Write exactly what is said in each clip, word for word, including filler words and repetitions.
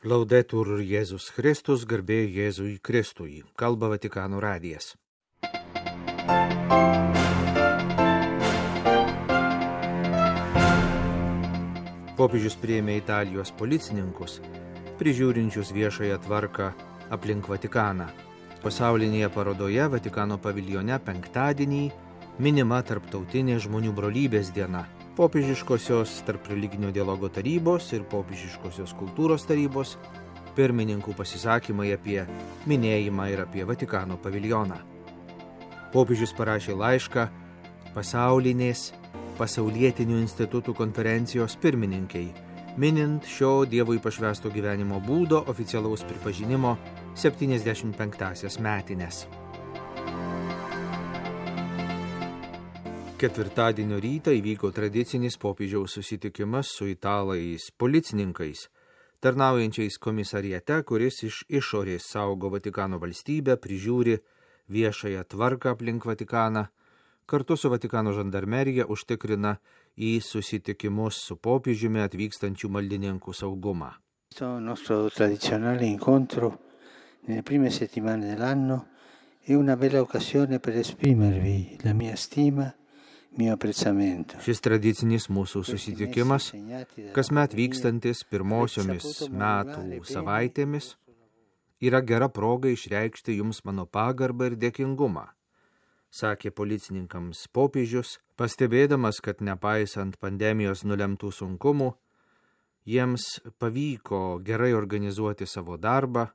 Laudetur Jėzus Kristus, garbė Jėzui Kristui, kalba Vatikano radijas. Popiežius priėmė Italijos policininkus, prižiūrinčius viešąją tvarką aplink Vatikaną. Pasaulinėje parodoje Vatikano paviljone penktadienį minima Tarptautinė žmonių brolybės diena. Popiežiškosios tarp religinio dialogo tarybos ir popiežiškosios kultūros tarybos pirmininkų pasisakymai apie minėjimą ir apie Vatikano paviljoną. Popiežius parašė laišką pasaulinės pasaulietinių institutų konferencijos pirmininkiai, minint šio Dievui pašvęsto gyvenimo būdo oficialaus pripažinimo septyniasdešimt penktąsias metines. Ketvirtadienio rytą įvyko tradicinis popiežiaus susitikimas su italais policininkais, tarnaujančiais komisariate, kuris iš išorės saugo Vatikano valstybę, prižiūri viešąją tvarką aplink Vatikaną, kartu su Vatikano žandarmerija užtikrina į susitikimus su popiežiumi atvykstančių maldininkų saugumą. Questo nostro tradizionale incontro nelle prime settimane dell'anno è una bella occasione per esprimervi la mia stima. Šis tradicinis mūsų susitikimas, kasmet vykstantis pirmosiomis metų savaitėmis, yra gera proga išreikšti jums mano pagarbą ir dėkingumą, sakė policininkams popiežius, pastebėdamas, kad nepaisant pandemijos nulemtų sunkumų, jiems pavyko gerai organizuoti savo darbą,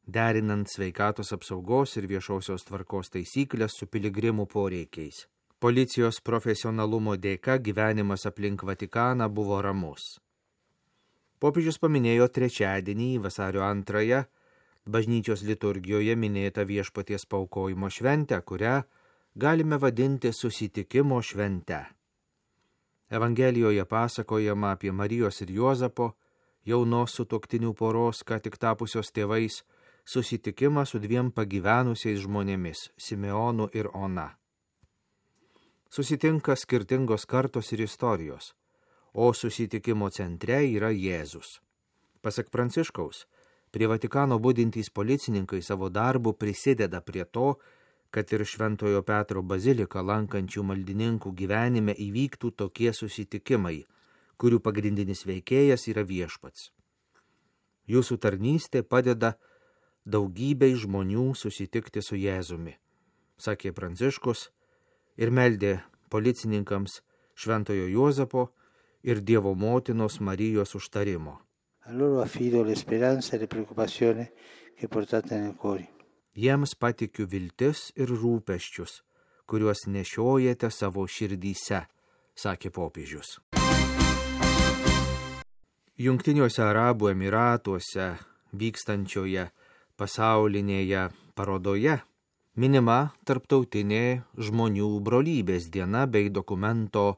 derinant sveikatos apsaugos ir viešosios tvarkos taisyklės su piligrimų poreikiais. Policijos profesionalumo dėka gyvenimas aplink Vatikaną buvo ramus. Popiežius paminėjo trečiadienį, vasario antrąją, bažnyčios liturgijoje minėtą Viešpaties paaukojimo šventę, kurią galime vadinti susitikimo švente. Evangelijoje pasakojama apie Marijos ir Juozapo, jaunos sutuoktinių poros, ką tik tapusios tėvais, susitikimą su dviem pagyvenusiais žmonėmis – Simeonu ir Ona. Susitinka skirtingos kartos ir istorijos, o susitikimo centre yra Jėzus. Pasak Pranciškaus, prie Vatikano budintys policininkai savo darbu prisideda prie to, kad ir Šventojo Petro baziliką lankančių maldininkų gyvenime įvyktų tokie susitikimai, kurių pagrindinis veikėjas yra Viešpats. Jūsų tarnystė padeda daugybei žmonių susitikti su Jėzumi, sakė Pranciškus, ir meldė policininkams Šventojo Juozapo ir Dievo motinos Marijos užtarimo. Jiems patikiu viltis ir rūpesčius, kuriuos nešiojate savo širdyse, sakė popiežius. Jungtiniuose Arabų Emyratuose vykstančioje pasaulinėje parodoje minima Tarptautinė žmonių brolybės diena bei dokumento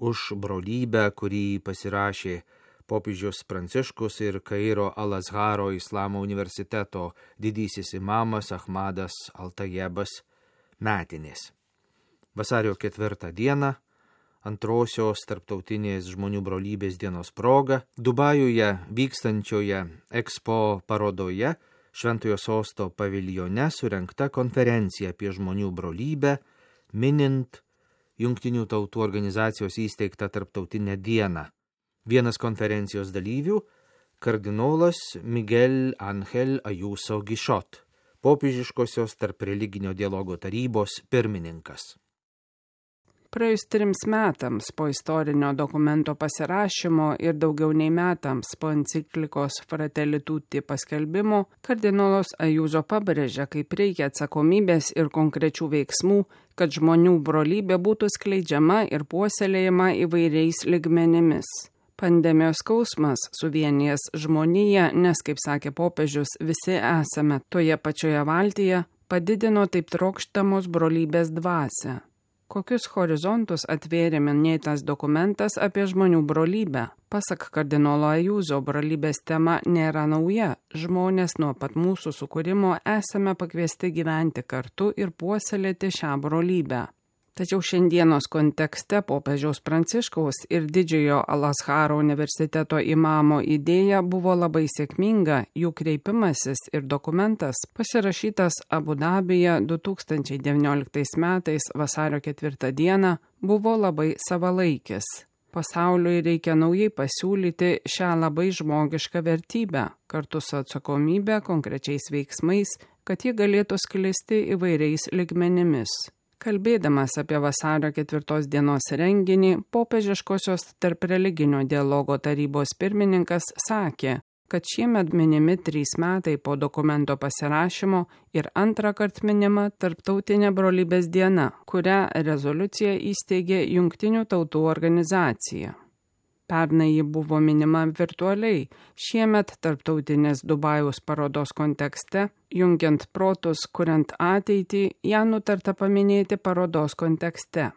už brolybę, kurį pasirašė popiežius Pranciškus ir Kairo Al-Azharo Islamo universiteto didysis imamas Ahmadas Al-Tajebas metinės. Vasario ketvirtą dieną, antrosios Tarptautinės žmonių brolybės dienos proga, Dubajuje vykstančioje Expo parodoje Šventojo sosto paviljone surengta konferencija apie žmonių brolybę, minint Jungtinių tautų organizacijos įsteigtą tarptautinę dieną. Vienas konferencijos dalyvių – kardinolas Miguel Ángel Ayuso Guichot, popiežiškosios tarp religinio dialogo tarybos pirmininkas. Praėjus trims metams po istorinio dokumento pasirašymo ir daugiau nei metams po enciklikos Fratelli Tutti paskelbimo, kardinolas Ayuso pabrėžia, kaip reikia atsakomybės ir konkrečių veiksmų, kad žmonių brolybė būtų skleidžiama ir puoselėjama įvairiais lygmenimis. Pandemijos skausmas suvienijęs žmoniją, nes, kaip sakė popiežius, visi esame toje pačioje valtyje, padidino taip trokštamos brolybės dvasią. Kokius horizontus atvėrė minėtas dokumentas apie žmonių brolybę? Pasak kardinolo Ayuso, brolybės tema nėra nauja. Žmonės nuo pat mūsų sukūrimo esame pakviesti gyventi kartu ir puoselėti šią brolybę. Tačiau šiandienos kontekste popiežiaus Pranciškaus ir didžiojo Al-Azharo universiteto imamo idėja buvo labai sėkminga, jų kreipimasis ir dokumentas pasirašytas Abu Dabyje du tūkstančiai devynioliktais metais vasario ketvirtą dieną buvo labai savalaikis. Pasauliui reikia naujai pasiūlyti šią labai žmogišką vertybę, kartu su atsakomybė konkrečiais veiksmais, kad ji galėtų sklisti įvairiais lygmenimis. Kalbėdamas apie vasario ketvirtos dienos renginį, popiežiškosios tarp religinio dialogo tarybos pirmininkas sakė, kad šiemet minimi trys metai po dokumento pasirašymo ir antrą kartą minima Tarptautinė brolybės diena, kurią rezoliucija įsteigė Jungtinių tautų organizacija. Pernai ji buvo minima virtualiai, šiemet Tarptautinės Dubajaus parodos kontekste, jungiant protus, kuriant ateitį, ją nutarta paminėti parodos kontekste.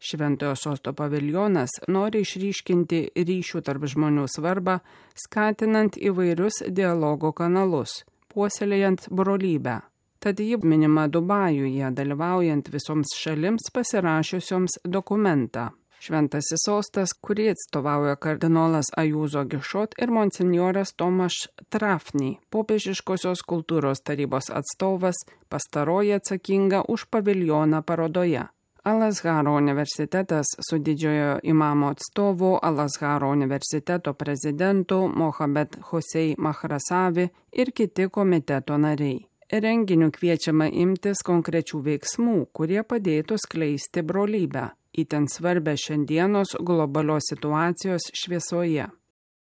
Šventojo sosto paviljonas nori išryškinti ryšių tarp žmonių svarbą, skatinant įvairius dialogo kanalus, puoselėjant brolybę. Tad ji minima Dubajuje, dalyvaujant visoms šalims pasirašiusioms dokumentą. Šventasis sostas, kurį atstovauja kardinolas Ajuzo Gišot ir monsinjoras Tomaš Trafny, popiežiškosios kultūros tarybos atstovas, pastaroji atsakinga už paviljoną parodoje. Al-Azharo universitetas su didžiojo imamo atstovu, Al-Azharo universiteto prezidentu Mohamed Hosei Mahrasavi ir kiti komiteto nariai. Renginiu kviečiama imtis konkrečių veiksmų, kurie padėtų skleisti brolybę, itin svarbę šiandienos globalios situacijos šviesoje.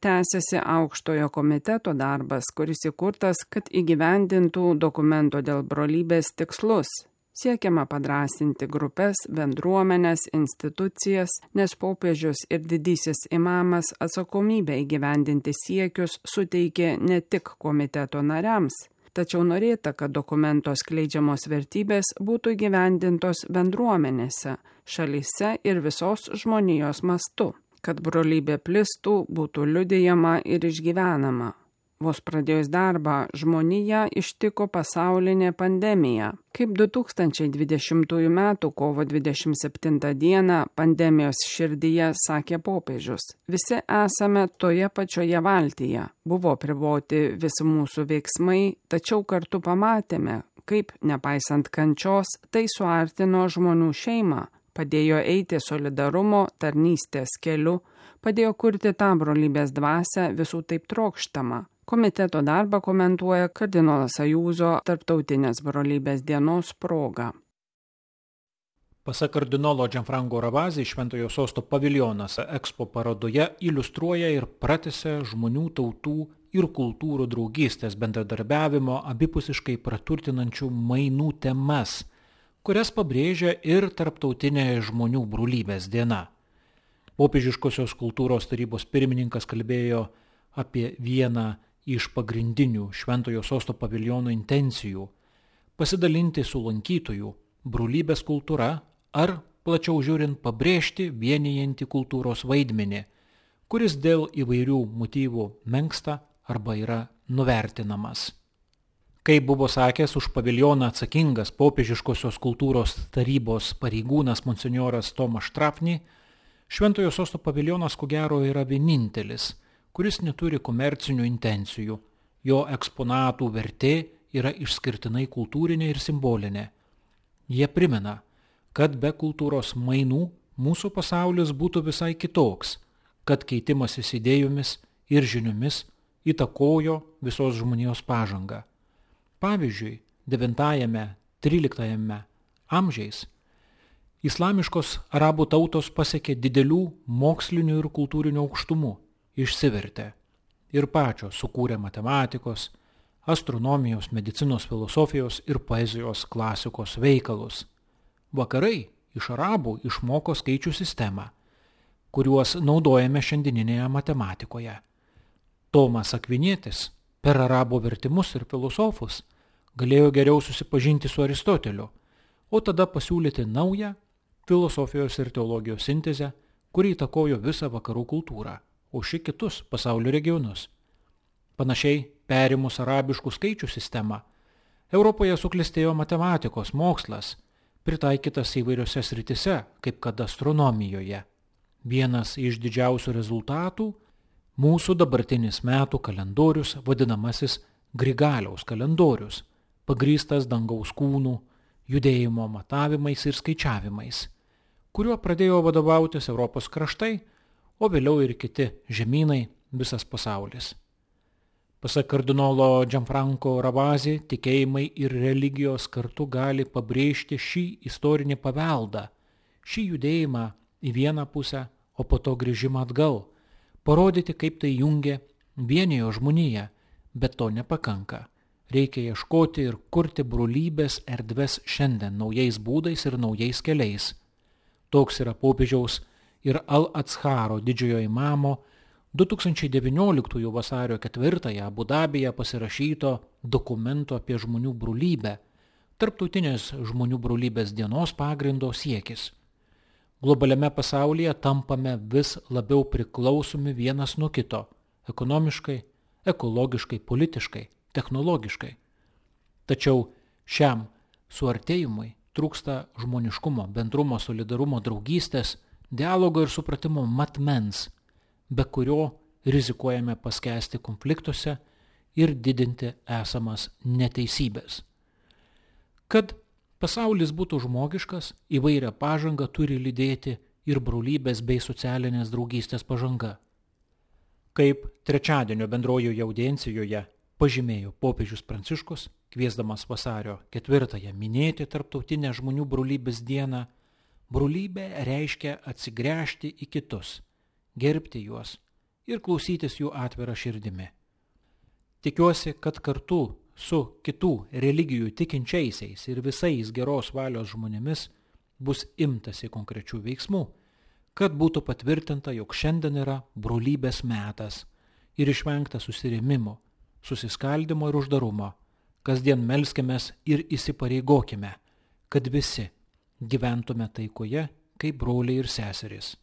Tęsiasi aukštojo komiteto darbas, kuris įkurtas, kad įgyvendintų dokumento dėl brolybės tikslus. Siekiama padrasinti grupės, bendruomenės, institucijas, nes popiežius ir didysis imamas atsakomybę įgyvendinti siekius suteikė ne tik komiteto nariams, tačiau norėta, kad dokumento skleidžiamos vertybės būtų įgyvendintos bendruomenėse, šalyse ir visos žmonijos mastu, kad brolybė plistų, būtų liudijama ir išgyvenama. Vos pradėjus darbą, žmoniją ištiko pasaulinė pandemija. Kaip du tūkstančiai dvidešimtųjų metų kovo dvidešimt septintą dieną pandemijos širdyje sakė popiežius. Visi esame toje pačioje valtyje. Buvo apriboti visi mūsų veiksmai, tačiau kartu pamatėme, kaip, nepaisant kančios, tai suartino žmonių šeimą, padėjo eiti solidarumo, tarnystės keliu, padėjo kurti tą brolybės dvasią visų taip trokštamą. Komiteto darbą komentuoja kardinolas Ajuzo Tarptautinės brolybės dienos proga. Pasak kardinolo Gianfranco Ravasi, Šventojo sosto paviljonas Expo parodoje iliustruoja ir pratęsia žmonių tautų ir kultūrų draugystės bendradarbiavimo abipusiškai praturtinančių mainų temas, kurias pabrėžia ir Tarptautinė žmonių brolybės diena. Popiežiškosios kultūros tarybos pirmininkas kalbėjo apie vieną iš pagrindinių Šventojo sosto paviljono intencijų – pasidalinti su lankytojų brolybės kultūra ar, plačiau žiūrint, pabrėžti vienijantį kultūros vaidmenį, kuris dėl įvairių motyvų menksta arba yra nuvertinamas. Kaip buvo sakęs už paviljoną atsakingas popiežiškosios kultūros tarybos pareigūnas monsinjoras Tomaš Trafny, Šventojo sosto paviljonas ko gero yra vienintelis, kuris neturi komercinių intencijų. Jo eksponatų vertė yra išskirtinai kultūrinė ir simbolinė. Jie primena, kad be kultūros mainų mūsų pasaulis būtų visai kitoks, kad keitimasis idėjomis ir žiniomis įtakojo visos žmonijos pažangą. Pavyzdžiui, devintajame tryliktajame amžiais islamiškos arabų tautos pasiekė didelių mokslinių ir kultūrinių aukštumų, išsivertė ir pačios sukūrė matematikos, astronomijos, medicinos, filosofijos ir poezijos klasikos veikalus. Vakarai iš arabų išmoko skaičių sistemą, kuriuos naudojame šiandieninėje matematikoje. Tomas Akvinietis per arabų vertimus ir filosofus galėjo geriau susipažinti su Aristoteliu, o tada pasiūlyti naują filosofijos ir teologijos sintezę, kuri įtakojo visą vakarų kultūrą, o ši kitus pasaulio regionus. Panašiai, perimus arabiškų skaičių sistemą, Europoje suklestėjo matematikos mokslas, pritaikytas įvairiose sritise, kaip kad astronomijoje. Vienas iš didžiausių rezultatų – mūsų dabartinis metų kalendorius, vadinamasis Grigaliaus kalendorius, pagrįstas dangaus kūnų, judėjimo matavimais ir skaičiavimais, kuriuo pradėjo vadovautis Europos kraštai, o vėliau ir kiti žemynai, visas pasaulis. Pasak kardinolo Gianfranco Ravasi, tikėjimai ir religijos kartu gali pabrėžti šį istorinį paveldą, šį judėjimą į vieną pusę, o po to grįžimą atgal, parodyti, kaip tai jungia, vienijo žmoniją, bet to nepakanka. Reikia ieškoti ir kurti brolybės erdves šiandien naujais būdais ir naujais keliais. Toks yra popiežiaus ir Al-Atsharo didžiojo imamo du tūkstančiai devynioliktųjų vasario ketvirtąją Abu Dabyje pasirašyto dokumento apie žmonių brolybę, tarptautinės žmonių brolybės dienos pagrindo siekis. Globaliame pasaulyje tampame vis labiau priklausomi vienas nuo kito – ekonomiškai, ekologiškai, politiškai, technologiškai. Tačiau šiam suartėjimui trūksta žmoniškumo, bendrumo, solidarumo, draugystės, dialogo ir supratimo matmens, be kurio rizikuojame paskęsti konfliktuose ir didinti esamas neteisybės. Kad pasaulis būtų žmogiškas, įvairią pažangą turi lydėti ir brolybės bei socialinės draugystės pažanga. Kaip trečiadienio bendrojoje audiencijoje pažymėjo popiežius Pranciškus, kviesdamas vasario ketvirtąją minėti tarptautinę žmonių brolybės dieną, brolybė reiškia atsigręžti į kitus, gerbti juos ir klausytis jų atvirą širdimi. Tikiuosi, kad kartu su kitų religijų tikinčiaisiais ir visais geros valios žmonėmis bus imtasi konkrečių veiksmų, kad būtų patvirtinta, jog šiandien yra brolybės metas ir išvengta susirėmimo, susiskaldimo ir uždarumo. Kasdien melskimės ir įsipareigokime, kad visi gyventume taikoje kaip broliai ir seserys.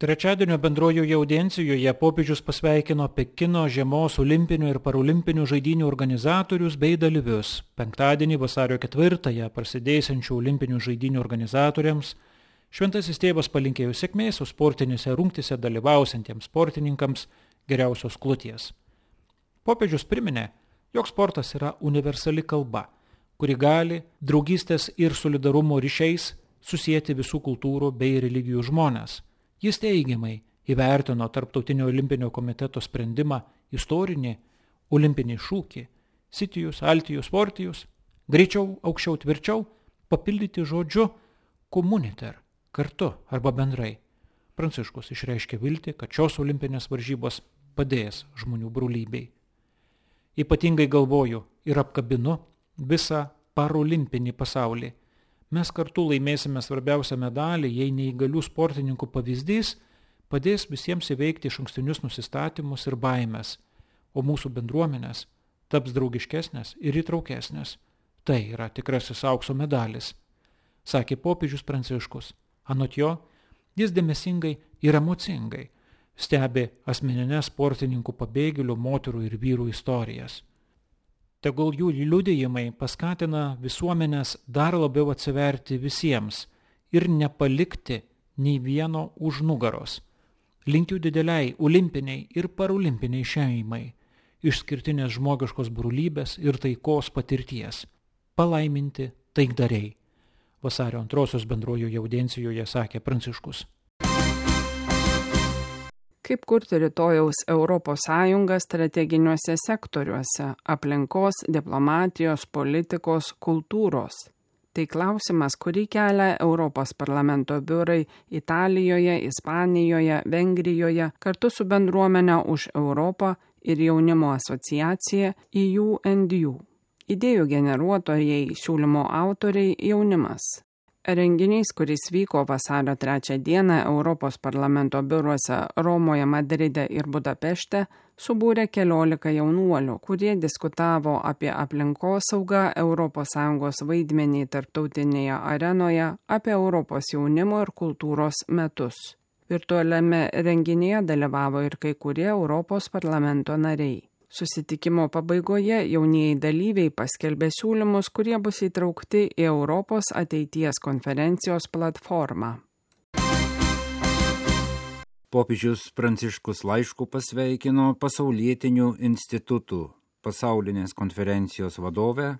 Trečiadienio bendrojoje audiencijoje popiežius pasveikino Pekino žiemos olimpinių ir parolimpinių žaidynių organizatorius bei dalyvius. Penktadienį vasario ketvirtąją prasidėsiančių olimpinių žaidynių organizatoriams šventasis tėvas palinkėjo sėkmės, o sportinėse rungtyse dalyvausiantiems sportininkams geriausios kloties. Popiežius priminė, jog sportas yra universali kalba, kuri gali draugystės ir solidarumo ryšiais susijęti visų kultūrų bei religijų žmones. Jis teigiamai įvertino Tarptautinio olimpinio komiteto sprendimą istorinį olimpinį šūkį Sitijus, Altijus, Fortijus, greičiau, aukščiau, tvirčiau, papildyti žodžiu komuniter, kartu arba bendrai. Pranciškus išreiškė viltį, kad šios olimpinės varžybos padės žmonių brolybei. Ypatingai galvoju ir apkabinu visą parolimpinį pasaulį. Mes kartu laimėsime svarbiausią medalį, jei neįgalių sportininkų pavyzdys padės visiems įveikti išankstinius nusistatymus ir baimės, o mūsų bendruomenės taps draugiškesnės ir įtraukesnės. Tai yra tikrasis aukso medalis, sakė popiežius Pranciškus. Anot jo, jis dėmesingai ir emocingai stebi asmeninės sportininkų pabėgėlių, moterų ir vyrų istorijas. Tegul jų liudijimai paskatina visuomenės dar labiau atsiverti visiems ir nepalikti nei vieno už nugaros. Linkiu dideliai olimpiniai ir parolimpiniai šeimai, išskirtinės žmogiškos brolybės ir taikos patirties. Palaiminti taikdariai. Vasario antrosios bendrojoje audiencijoje sakė Pranciškus. Kaip kurti rytojaus Europos Sąjungą strateginiuose sektoriuose – aplinkos, diplomatijos, politikos, kultūros. Tai klausimas, kurį kelia Europos parlamento biurai Italijoje, Ispanijoje, Vengrijoje kartu su bendruomenė už Europą ir jaunimo asociacija E U and U. Idėjų generuotojai, siūlymo autoriai – jaunimas. Renginys, kuris vyko vasario trečią dieną Europos parlamento biuruose Romoje, Madride ir Budapešte, subūrė keliolika jaunuolių, kurie diskutavo apie aplinkosaugą, Europos Sąjungos vaidmenį tarptautinėje arenoje, apie Europos jaunimo ir kultūros metus. Virtualiame renginyje dalyvavo ir kai kurie Europos parlamento nariai. Susitikimo pabaigoje jaunieji dalyviai paskelbė siūlymus, kurie bus įtraukti į Europos ateities konferencijos platformą. Popiežius Pranciškus laišku pasveikino pasaulietinių institutų pasaulinės konferencijos vadovę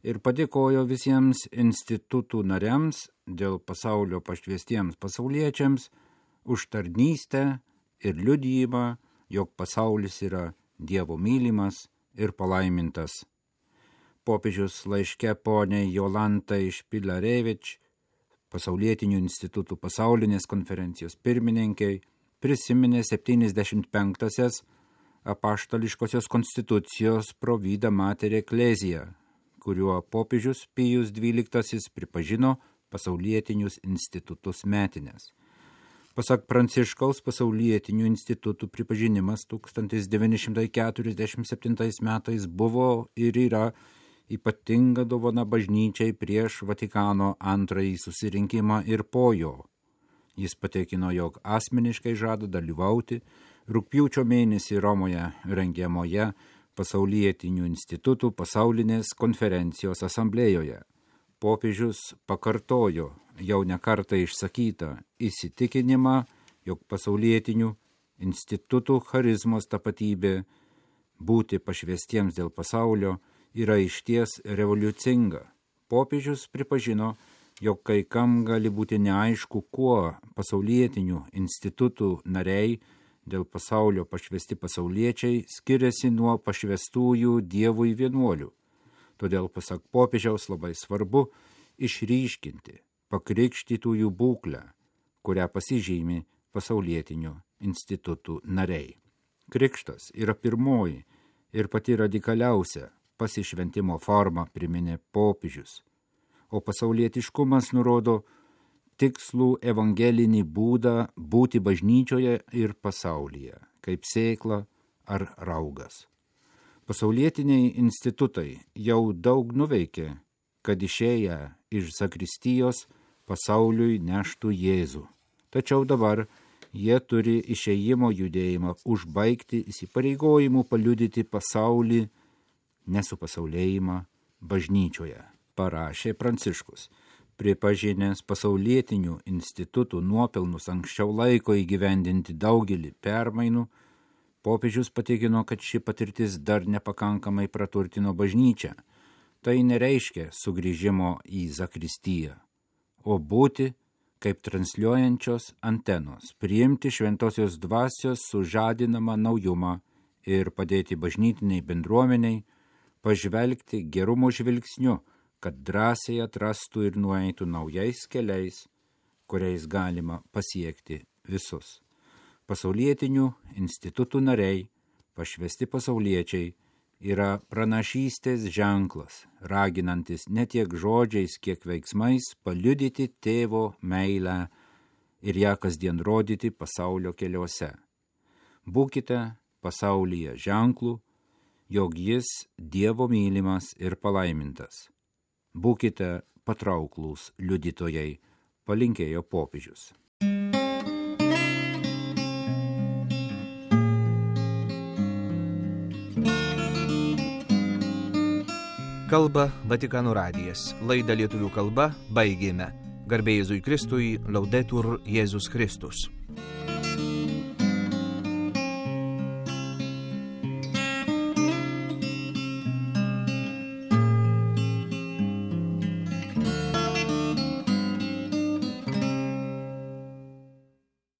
ir padėkojo visiems institutų nariams dėl pasaulio pašvestiems pasauliečiams už tarnystę ir liudijimą, jog pasaulis yra Dievo mylimas ir palaimintas. Popiežius laiške poniai Jolantai Špilarevič, pasaulietinių institutų pasaulinės konferencijos pirmininkai, prisiminė septyniasdešimt penktąsias apaštališkosios konstitucijos Provida Mater Ecclesia, kuriuo popiežius Pijus dvyliktasis pripažino pasaulietinius institutus metinės. Pasak Pranciškaus, pasaulietinių institutų pripažinimas tūkstantis devyni šimtai keturiasdešimt septintais metais buvo ir yra ypatinga dovana bažnyčiai prieš Vatikano antrąjį susirinkimą ir po jo. Jis patikino, jog asmeniškai žada dalyvauti rugpjūčio mėnesį Romoje rengiamoje pasaulietinių institutų pasaulinės konferencijos asamblėjoje. Popiežius pakartojo jau nekartą išsakytą įsitikinimą, jog pasaulietinių institutų charizmos tapatybė būti pašvestiems dėl pasaulio yra išties revoliucinga. Popiežius pripažino, jog kai kam gali būti neaišku, kuo pasaulietinių institutų nariai dėl pasaulio pašvesti pasauliečiai skiriasi nuo pašvestųjų Dievui vienuolių. Todėl, pasak popiežiaus, labai svarbu išryškinti pakrikštytųjų būklę, kurią pasižymi pasaulietinių institutų nariai. Krikštas yra pirmoji ir pati radikaliausia pasišventimo forma, priminė popiežius, o pasaulietiškumas nurodo tikslų evangelinį būdą būti bažnyčioje ir pasaulyje, kaip sėkla ar raugas. Pasaulietiniai institutai jau daug nuveikė, kad išėję iš zakristijos pasauliui neštų Jėzų. Tačiau dabar jie turi išėjimo judėjimą užbaigti įsipareigojimu paliudyti pasaulį nesupasaulėjimą bažnyčioje, parašė Pranciškus. Pripažinęs pasaulietinių institutų nuopelnus anksčiau laiko įgyvendinti daugelį permainų, popiežius patikino, kad ši patirtis dar nepakankamai praturtino bažnyčią. Tai nereiškia sugrįžimo į zakristiją, o būti kaip transliuojančios antenos, priimti šventosios dvasios sužadinamą naujumą ir padėti bažnytiniai bendruomeniai pažvelgti gerumo žvilgsniu, kad drąsiai atrastų ir nueitų naujais keliais, kuriais galima pasiekti visus. Pasaulietinių institutų nariai, pašvesti pasauliečiai, yra pranašystės ženklas, raginantis ne tiek žodžiais, kiek veiksmais paliudyti tėvo meilę ir ją kasdien rodyti pasaulio keliuose. Būkite pasaulyje ženklų, jog jis Dievo mylimas ir palaimintas. Būkite patrauklūs liudytojai, palinkėjo popiežius. Kalba Vatikano radijas. Laidą lietuvių kalba baigėme. Garbė Jėzui Kristui, Laudetur Jėzus Kristus.